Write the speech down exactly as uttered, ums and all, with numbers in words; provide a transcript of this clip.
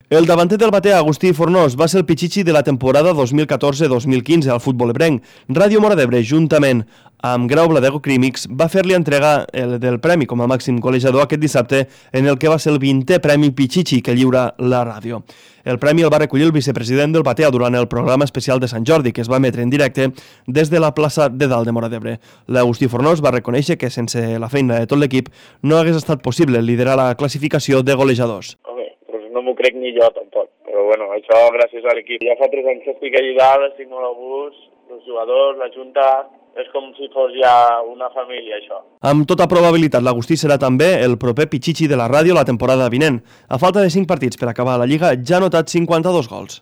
El davanter del Batea, Agustí Fornós, va ser el pitxitxi de la temporada dos mil catorze dos mil quinze al futbol ebrenc. Ràdio Móra d'Ebre, juntament amb Grau Bladego Crímix, va fer-li entregar el del premi com a màxim golejador aquest dissabte en el que va ser el vintè premi pitxitxi que lliura la ràdio. El premi el va recollir el vicepresident del Batea durant el programa especial de Sant Jordi, que es va emetre en directe des de la plaça de Dalt de Móra d'Ebre. L'Agustí Fornós va reconèixer que sense la feina de tot l'equip no hagués estat possible liderar la classificació de golejadors. No m'ho crec ni jo, tampoc. Però, bueno, això gràcies a l'equip. Ja fa tres anys que estic allà, estic molt a gust, els jugadors, la Junta, és com si fos ja una família, això. Amb tota probabilitat, l'Agustí serà també el proper pitxitxi de la ràdio la temporada vinent. A falta de cinc partits per acabar la Lliga, ja ha anotat cinquanta-dos gols.